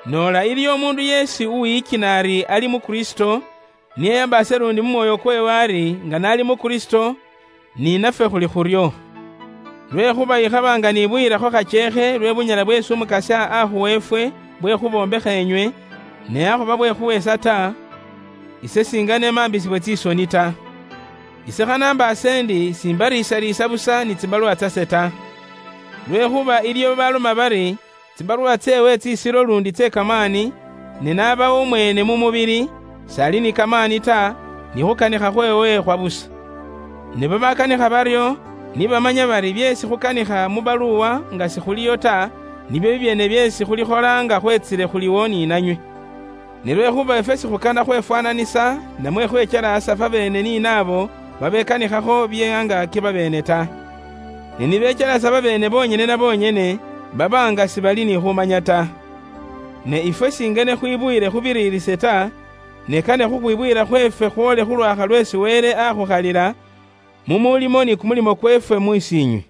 Noola iliyo umundu yeesi uwiyikina ari ali mu Kristo, niyeyambaase lundi mu mwoyo kweewe ari nga naali mu Kristo, ni nafwe khuli khuryo. Lwekhuba ikhaba nga nibuyilakho khacheekhe lwe bunyala bweesi Umukasya akhuwa efwe bwe khubombekha enywe, ne akhuba bwe khuweesa ta, ise singa nemaambisibwe tsisoni ta. Ise khanambaase ndi simbariisariisa busa ni tsibaluwa tsase ta. Lwekhuba iliyo babaloma bari, tsibaluwa tseewe tsisilo lundi tse kamaani, ne naba umweene mu mubili, sali ni kamaani ta, ni khukanikha khweewe khwa busa. Ne babakanikha baryo, nibamanya bari byeesi khukanikha mu baluwa nga sikhuliyo ta, nibyo bibyeene byeesi khulikhola nga khwetsile khuliwo ni nanywe. Ne lwekhuba ifwe sikhukana khwefwananisa, namwe khwechelaasa fwabeene ni naabo babekanikhakho bye angaaki babeene ta. Ne nibechelaasa babeene bonyene na bonyene, baba nga sibali ni khumanya ta. Ne ifwe singene khwibuyile khubiriirise ta, ne kane khukhwibuyila khweefwe khwoole khulwakha lweesi Wele akhukhalila, mu mulimo ni kumulimo kweefwe mu isiinywe.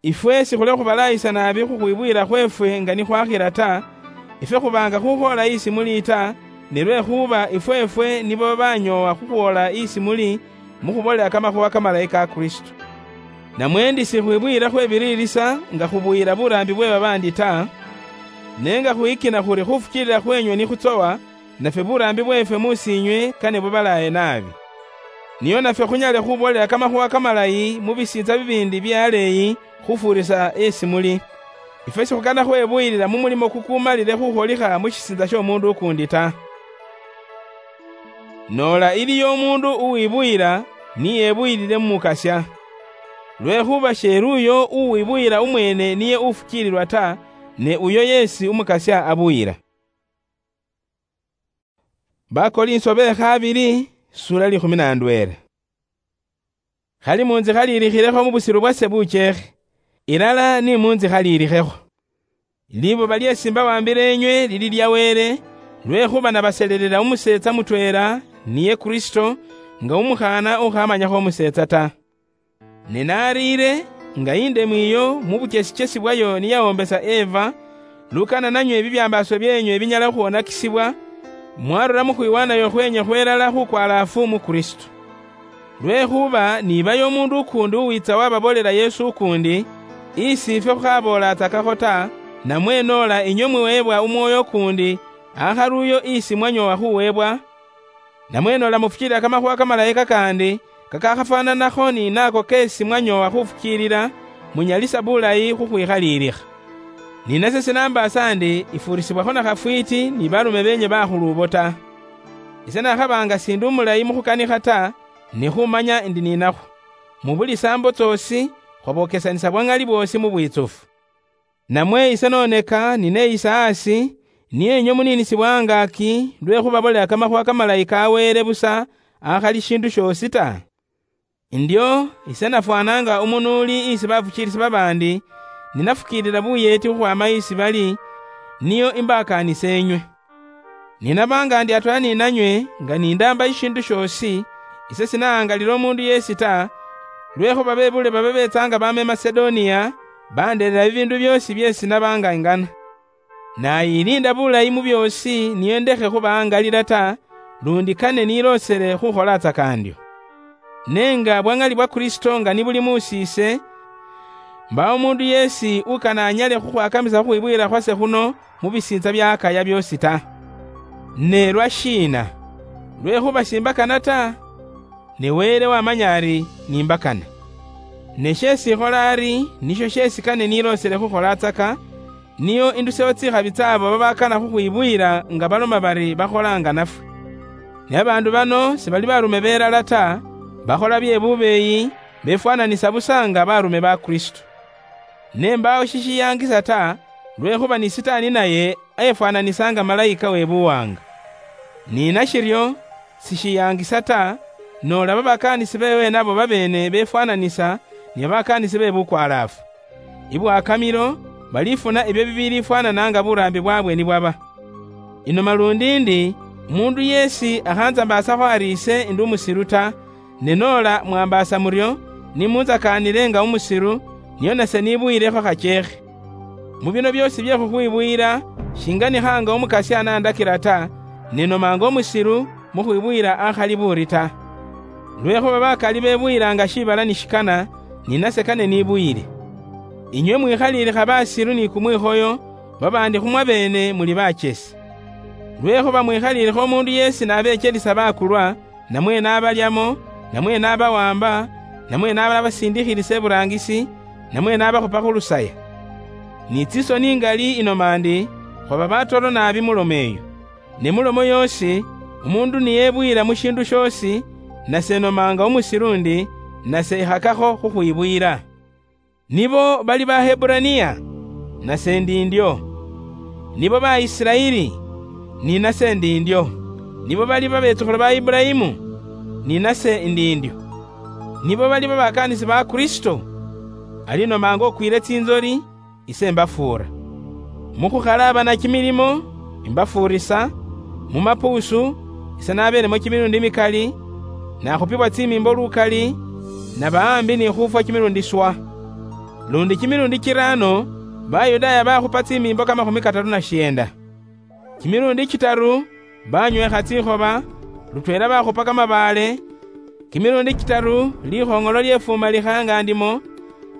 Ifwe sikhuli khubalaayisa naabi khukhwibuyila khweefwe nga nikhwakhila ta, ifwe khubaanga khukhwoola isi muli ta, ne lwekhuba ifweefwe nibo banyoowa khukhwoola isi muli mu khuboolela kamakhuuwa kamalayi ka Kristo. Namwe ndi sikhwibuyila khwebiriirisa nga khubuyila buraambi bwe babaandi ta, ne nga khwikina khuri khufukiilila khwenywe nikhutsowa, nafwe buraambi bweefwe mu siinywe kane bubalaaye naabi. Nio nafwe khunyale khuboolela kamakhuuwa kamalayi mu bisiintsa bibiindi bye aleeyi khufuurisa esi muli. Ifwe sikhukana khwebuyilila mu mulimo kukumalile khukholikha mu shisiintsa sh'omuundu ukuundi ta. Noola iliyo umuundu uwibuyila, niyebuyilile mu Mukasya. Lwekhuba sheeli uyo uwibuyila umweene niye ufukiililwa ta, ne uyo yeesi Umukasya abuyila. Bakolinso be khabili, sura likhumi na ndweela. Khali mu nzikha liilikhilekho mu busilu bwase bucheekhe, ilala ni mu nzikha liilikhekho. Libuba lyeesi mbawambile enywe lili lya Wele, lwekhuba nabaselelela umuseetsa mutweela, niye Kristo, nga umukhaana ukhamanyakho umuseetsa ta. Ne nariire, nga indemu iyo mu buchesichesi bwayo niyawombesa Eva, lukana nanywe ebibyambaaso byenywe binyala khuwonakisibwa, mwarura mu khwiwanayo khwenywe khwelala khukwalaafu mu Kristo. Lwekhuba nibayo omundu ukuundi uwitsa wababoolera Yesu ukuundi, isi ifwe khukhaboolatsakakho ta, namwe noola inywe mwiweebwa umwoyo ukuundi, akharuuyo isi mwanyowa khuweebwa, namwe noola mufukiilila kamakhuwa kamalayi kakandi, kakakhafwananakho ni nako keesi mwanyowa khufukiilila, munyalisa bulayi khukhwikhaliilikha. Ni nase sinambaasa ndi ifuurisibwakho na khafwiiti ni barume beenywe bakhuluubo ta. Ise nakhaba nga sindi umulayi mu khukanikha ta, ne khumanya ndi ninakhwo. Mu buli saambo tsoosi, khwabokesanisa bwa ŋali bwoosi mu bwiitsufu. Namwe ise noneka nineyisa asi, niye inywe muniinisibwa angaaki, lwe khubabolela kamakhuwa kamalayi ka Wele busa, akhali shindu shoosi ta? Ndio, ise nafwana nga umunuuli isi bafukiilisi babaandi, ninafukiilila buyeeti khukhwaama isi bali, niyo imbaakaanise inywe. Ninaba nga ndi atweela ninanywe, nga nindaamba ishiindu shoosi, ise sinahangalila omuundu yeesi ta, lwekhuba bebuule baba beetsaanga baama i Masedoniya, bandeerera bibiindu byoosi byeesi naba nga ingana. Nayiliinda bulayi mu byoosi, niyo ndekhe khubahangalila ta, lundi kane niloosele khukholatsa kaandio. Ne nga bwa ŋali bwa Kristo nga nibuli muusiise, mbaawo umuundu yeesi ukana anyale khukhwakamisa khukhwibwiila khwase khuno mu bisiintsa bya Akaya byoosi ta. Ne lwashiina? Lwekhuba shimbakana ta? Ne Wele wamanya ari nimbakana. Ne sheesi ikhola ari, nisho sheesi kane niloosele khukholatsaka, niyo indusewo tsikhabi tsaabo babakana khukhwibwiila nga baloma bari bakholanga nafwe. Ne babaandu bano sibali baarume belala ta, bakhola bye bubeeyi, befwananisa busa nga baarume ba Kristo. Ne mbaawo shishiyaangisa ta, lwekhuba ni Sitaani naye efwananisa nga malayika we buwaanga. Ni nashiryo, sishiyaangisa ta, noola babakaanisi beewe nabo babeene befwananisa ni babakaanisi be bukwalaafu. Ibwakamilo, balifuna ebyo bibiliifwanana nga buraambi bwaabwe nibwaba. Ino malundi ndi, umuundu yeesi akhanzambaasakho ari ise ndi umusiru ta, ne noola mwambaasa muryo, nimunzakaanile nga umusiru, niyo nase nibuyiilekho khacheekhe. Mu bino byoosi bye khukhwibwiila, shinganikha nga umukasya anandakila ta, ne nomanga umusiru mu khwibwiila akhali buuri ta. Lwekhuba bakali bebwiilanga shiibala ni shikana, ni nase kane nibuyiile. Inywe mwikhaliilikha basiru ni kumwikhoyo, babaandi khu mwabeene muli bachesi. Lwekhuba mwikhaliilikha umuundu yeesi n'abeechelisa bakulwa, namwe n'abalyamo, namwe n'abawamba, namwe n'ababasindikhilisa iburaangisi, namwe n'abakhupa khu lusaya. Ni tsisoni ingali inoma ndi, khwaba batoro naabi mu lomo eyo. Ne mu lomo yoosi, umuundu niyebwiila mu shiindu shoosi, nase nomanga umusiru ndi, nase ikhakakho khukhwibwiila. Nibo bali Baheburaniya? Nase ndi ndyo. Nibo Baisiraeli? Ni nase ndi ndyo. Nibo bali babetsukhulu ba Ibulayimu? Ni nase ndi ndyo. Nibo bali babakaanisi ba Kristo? Ali nomanga okwiile tsinzoli, ise mbafuura. Mu khukhalaabana kimilimo, imbafuurisa, mu mapuusu, ise nabeelemo kimilundi mikali, nakhupibwa tsimimbo lukali, naba ambi ni khufwa kimilundi swa. Lundi kimilundi kiraano, Bayudaaya bakhupa tsimimbo kamakhumi kataru na shienda. Kimilundi kitaru, banywekha tsikhoba, lutweela bakhupa kamabaale, kimilundi kitaru, likhoŋolo lyefumalikha nga ndimo,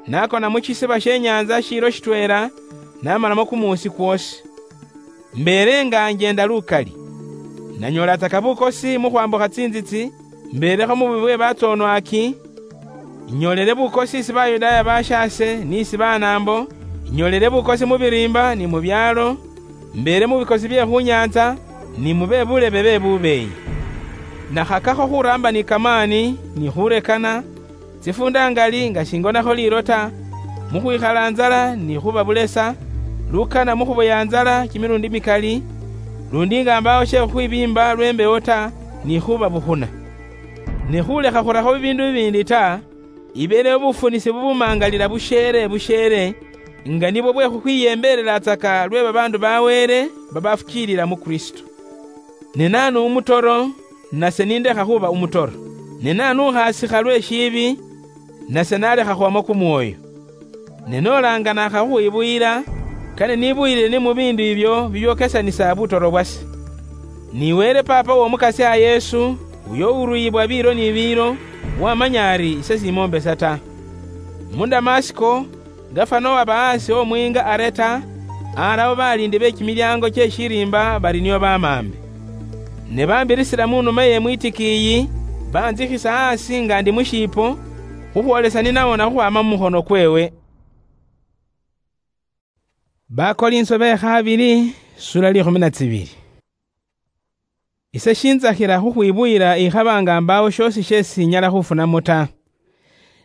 nakona mu shisiba she nyanza shiilo shitweela, namalamo kumuusi kwoosi. Mbeele nga njeenda lukali. Nanyoolataka bukosi mu khwambukha tsinzitsi, mbeelekho mu bubi bwe batsonwaaki, inyoolele bukosi isi Bayudaaya bashaase ni isi banaambo, inyoolele bukosi mu biriimba ni mu byaalo, mbeele mu bikosi bye khu nyaantsa, ni mu be bulebe be bubeeyi. Nakhakakho khuraamba ni kamaani, ni khurekana, tsifuunda ngali nga shingonakho liilo ta, mu khwikhala nzala ni khuba bulesa, lukana mu khuboya nzala kimilundi mikali, lundi nga mbaawo she khukhwibiimba lwe mbewo ta, ni khuba bukhuna. Ne khulekha khurakho bibiindu bibiindi ta, ibeeleyo bufunisi bubumangalila busheele busheele, nga nibwo bwe khukhwiyembeelelatsaka lwe babaandu ba Wele babafukiilila mu Kristo. Ne naanu umutoro, nase nindekha khuba umutoro? Ne nanuukhasikha lwe shiibi, nase nalekha khwamo kumwoyo. Ne nolanga nakha khukhwibuyila, kane nibuyile ni mu biindu ibyo bibyokesanisa butoro bwase. Ni Wele Paapa w'Omukasya Yesu, uyo uruyibwa biilo ni biilo, wamanya ari ise simoombesa ta. Mu Damasiko, gafana owaba aasi omwiinga Areta, arawo baliindi be kimilyaango kye shiriimba bari nio bamaambe. Ne bambirisira mu nume ye mwitikiiyi, banzikhisa aasi nga ndi mu shiipo, khukhwolesa ni nawona khukhwaama mu mukhono kweewe. Bakolinso be khabili, sura likhumi na tsibili. Ise shintsakhila khukhwibuyila ikhaba nga mbaawo shoosi sheesi inyala khufunamo ta.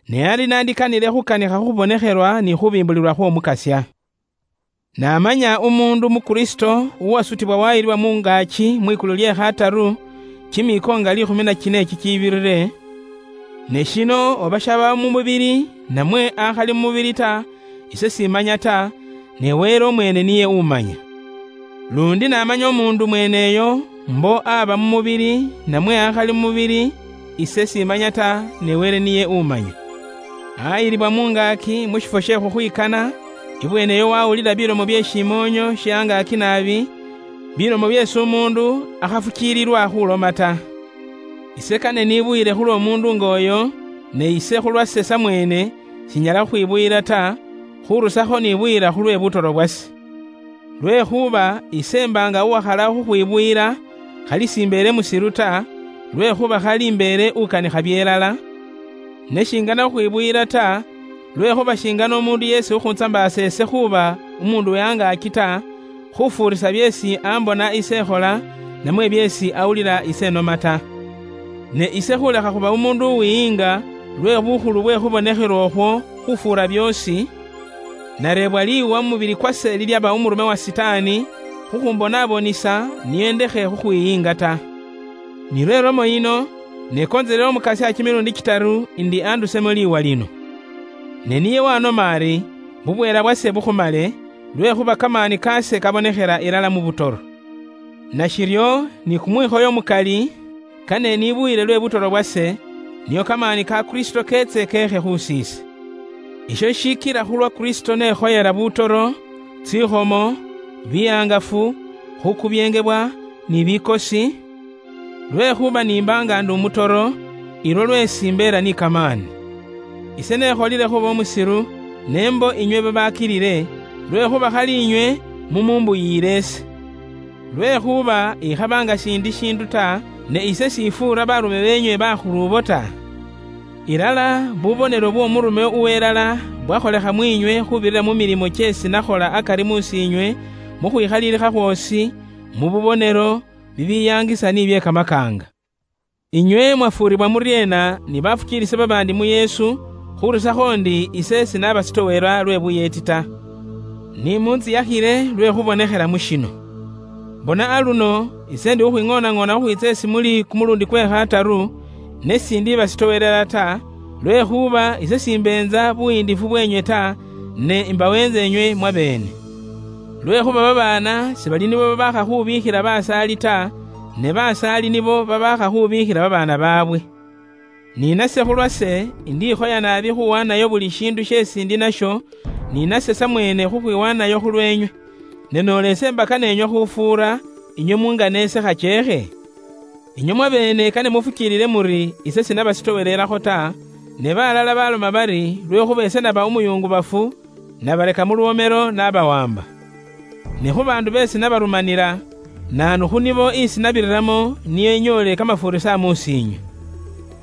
Ne ali nandikanile khukanikha khubonekhelwa ni khubimbulilwa khw'Omukasya. Namanya umuundu mu Kristo uwasutibwa wayilibwa mungaaki mwikulu lye khataru, kimiiko nga likhumi na kine kikiibirire, ne shino oba shaba mu mubili, namwe akhali mu mubili ta, ise simanya ta, ne Wele omweene niye umanya. Lundi namanya omuundu mweeneyo, mbo aba mu mubili, namwe akhali mu mubili, ise simanya ta, ne Wele niye umanya. Ayilibwa mungaaki mu shifwo she khukhwikana, ibweene eyo wawulila bilomo bye shimoonyo she angaaki naabi, bilomo byeesi umuundu akhafukiililwa khuloma ta. Ise kane nibuyile khulw'omuundu ng'oyo, ne ise khulwase samweene, shinyala khukhwibuyila ta, khurusakho nibuyila khulwe butoro bwase. Lwekhuba ise mbaanga uwakhala khukhwibuyila, khali simbeele musiru ta, lwekhuba khali imbeele ukanikha byelala, ne shingana khukhwibuyila ta, lwekhuba shingana umuundu yeesi ukhuntsambaasa ise khuuba umuundu we angaaki ta, khufuurisa byeesi ambona ise ekhola, namwe byeesi awulila ise enoma ta. Ne ise khulekha khuba umuundu uwiyiinga lwe bukhulu bwe khubonekhelwa okhwo khufuura byoosi, nareebwa liiwa mu mubili kwase lilyaba umurume wa Sitaani, khukhumbonaabonisa, niye ndekhe khukhwiyiinga ta. Nilwo elomo yino, nekonzelele Omukasya kimilundi kitaru indi andusemo liiwa lino. Ne niye wanoma ari, bubweela bwase bukhumale, lwekhuba kamaani kaase kabonekhela ilala mu butoro. Nashiryo, ni kumwikhoyo mukali, kane nibuyile lwe butoro bwase, nio kamaani ka Kristo keetse keekhe khusiise. Isho shikila khulwa Kristo nekhoyela butoro, tsikhomo, bihangafu, khukubyengebwa, ni bikosi, lwekhuba nimbaanga ndi umutoro, ilwo lweesi mbeela ni kamaani. Ise nekholile khuba umusiru, ne mbo inywe babakilile, lwekhuba khali inywe mumumbuyiile ise. Lwekhuba ikhaba nga shiindi shiindu ta, ne ise shifuura barume beenywe bakhuluubo ta. Ilala, bubonelo bw'omurume uwelala bwakholekha mwiinywe khubirira mu milimo kyeesi nakhola akari muusiinywe, mu khwikhalilikha khwoosi, mu bubonelo, bibiyaangisa ni bye kamakaanga. Inywe mwafuuribwa muryeena ni bafukiilisi babaandi mu Yesu, khurusakho ndi ise sinaabasitowela lwe buyeeti ta? Ni munziyakhile lwe khubonekhela mu shino. Bona aluno, ise ndi khukhwing'oonang'oona khukhwiitsa esi muli kumulundi kwe khataru, ne sindibasitowelela ta, lwekhuba ise simbeenza buyiindifu bweenywe ta, ne imbaweentsa inywe mwabeene. Lwekhuba babaana sibali nibo babaakha khubiikhila basaali ta, ne basaali nibo babaakha khubiikhila babaana baabwe. Ni nase khulwase, indikhoya naabi khuwanayo buli shiindu sheesi ndi nasho, ni nase samweene khukhwiwanayo khulweenywe. Ne noola ese mbaka neenywe khufuura, inywe mungane ese khacheekhe? Inywe mwabeene kane mufukiilile muri ise sinabasitowereelakho ta, ne balala baloma bari lwekhuba ise naba umuyungubafu, nabaleka mu lwoomelo nabawamba. Ne khu baandu beesi nabarumanila, naanu khu nibo isi nabiriramo niyo inyoole kamafuurisa muusiinywe?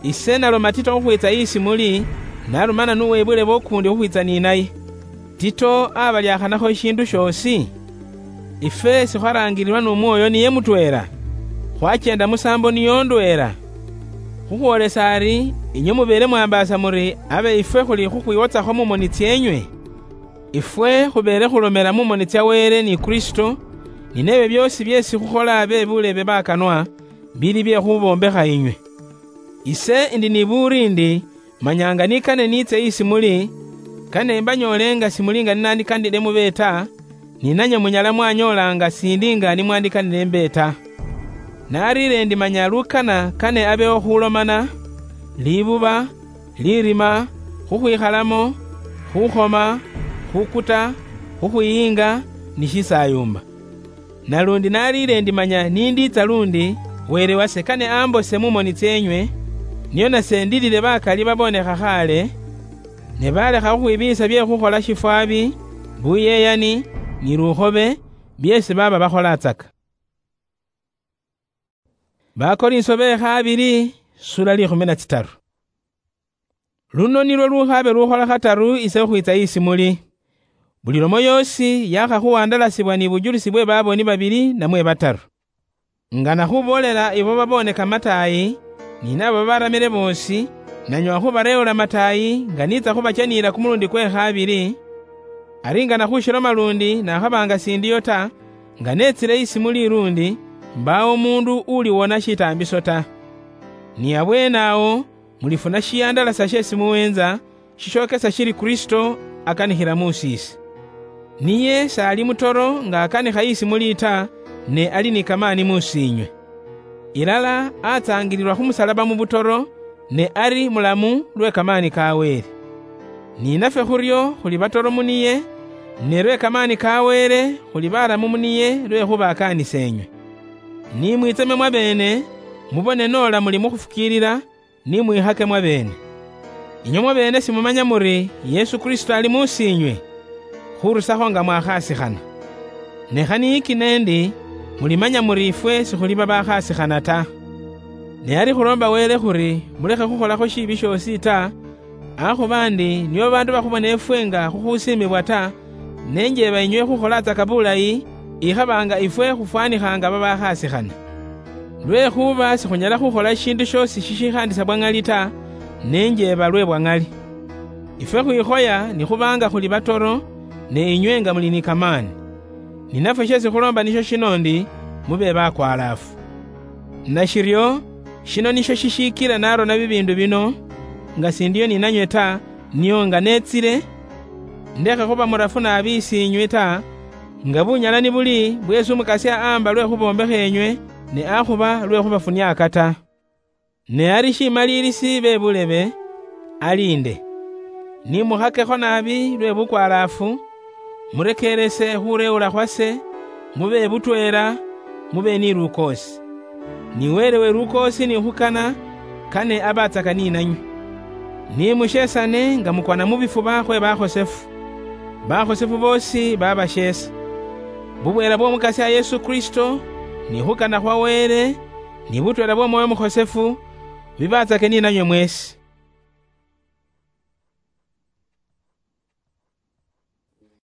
Ise naloma Tito khukhwiitsa isi muli, narumana n'uwebulebo ukuundi khukhwiitsa ni naye. Tito abaliakhanakho ishiindu shoosi? Ifwe sikhwaraangililwa n'Omwooyo niye mutweela? Khwacheenda musaambo niyo ndweela? Khukhwoolesa ari, inywe mubeele mwambaasa muri abe ifwe khuli khukhwiwotsakho mu moni tsyeenywe? Ifwe khubeele khulomela mu moni tsya Wele ni Kristo, ni neebyo byoosi byeesi khukhola abe buleebe bakanwa, bili bye khubombekha inywe. Ise indi ni buuri ndi, manyanga nikane niitse isi muli, kane mbanyoole nga simuli nga ninandikanile mube ta, ni nanywe munyala mwanyoola nga sindi nga nimwandikanile mbe ta. Nariire ndi manya lukana kane abewo khulomana, libuba, lirima, khukhwikhalamo, khukhoma, khukuta, khukhwiyinga, ni shisayumba. Nalundi naliire ndi manya nindiitsa lundi, Wele wase kane ambose mumoni tsienywe, nio nase ndilile bakali babonekha khale, ne balekha khukhwibiisa bie khukhola shifwabi, buyeyani, ni lukhobe, biesi baba bakholatsaka. Bakorinso be khabili, sura likhumi na tsitaru. Luno nilwo lukhabe lukhola khataru ise khukhwitsa isi muli. Buli lomo yosi yakhakhuwandalasibwa ni bujulisi bwe baboni babili namwe bataru. Nga nakhubolela ibo babone kamatayi, ni nabo babaramile bosi, nanywa khubareula matayi, nga nitsa khubachaniila kumulundi kwe khabili, ari nga nakhushiloma lundi nakhabanga sindiyo ta, nga netsile isi muli lundi, mbawo mundu uliwona shitaambiso ta. Ni abwenawo, mulifuna shiyandalasya shesi muwenza, shishokesa shiri Kristo akanikhila musiisi. Niye sali mutoro nga akanikha isi muli ta, ne ali ni kamani musiinywe. Ilala atsangililwa khumusalaba mubutoro, ne ari mulamu lwe kamani ka Wele. Ni nafwe khuryo khuli batoro muniye, ne lwe kamani ka Wele khuli balamu muniye lwekhuba akaanisenywe. Ni mwitseme mwabene, mubone nola muli mukhufukiilila, ni mwihake mwabene. Inywe mwabene simumanya muri Yesu Kristo ali musiinywe, khurusakho nga mwakhasikhana. Ne khaniiki nendi, mulimanya muri ifwe sikhuli babakhasikhana ta. Ne ari khulomba Wele khuri mulekhe khukholakho shiibi shiosi ta, akhuba ndi nibo bandu bakhubona efwe nga khukhusiimibwa ta, nenjeba inywe khukholatsaka bulayi, ikhaba nga ifwe khufwanikhanga babakhasikhana. Lwekhuba sikhunyala khukhola shindu shiosi shishikhandisa bwa ng'ali ta, nenjeba lwe bwa ng'ali. Ifwe khwikhoya nikhubanga khuli batoro, ne inywe nga muli ni kamani. Ni nafwe shesi khulomba nisho shino ndi, mube bakwalaafu. Nashiryo, shino nisho shishikila narona bibindu bino, nga sindiyo ninanywe ta, nio nga netsile, ndekhe khuba murafu naabi isiinywe ta, nga bunyala nibuli bwesi Umukasya aamba lwe khubombekha enywe, ne akhuba lwe khubafuniaka ta. Ne ari shimalilisi be bulebe, aliinde. Ni mukhakekho naabi lwe bukwalaafu, murekeerese khureewula khwase, mube butweela, mube ni lukoosi. Ni Wele we lukoosi ni khukana, kane abatsaka ni nanywe. Ni mushesane nga mukwana mu bifuba khwe bakhosefu. Bakhosefu boosi babasheesa. Bubweela bw'Omukasya Yesu Kristo, ni khukana khwa Wele, ni butweela bw'Omwoyo Mukhosefu, bibatsake ni nanywe mwesi.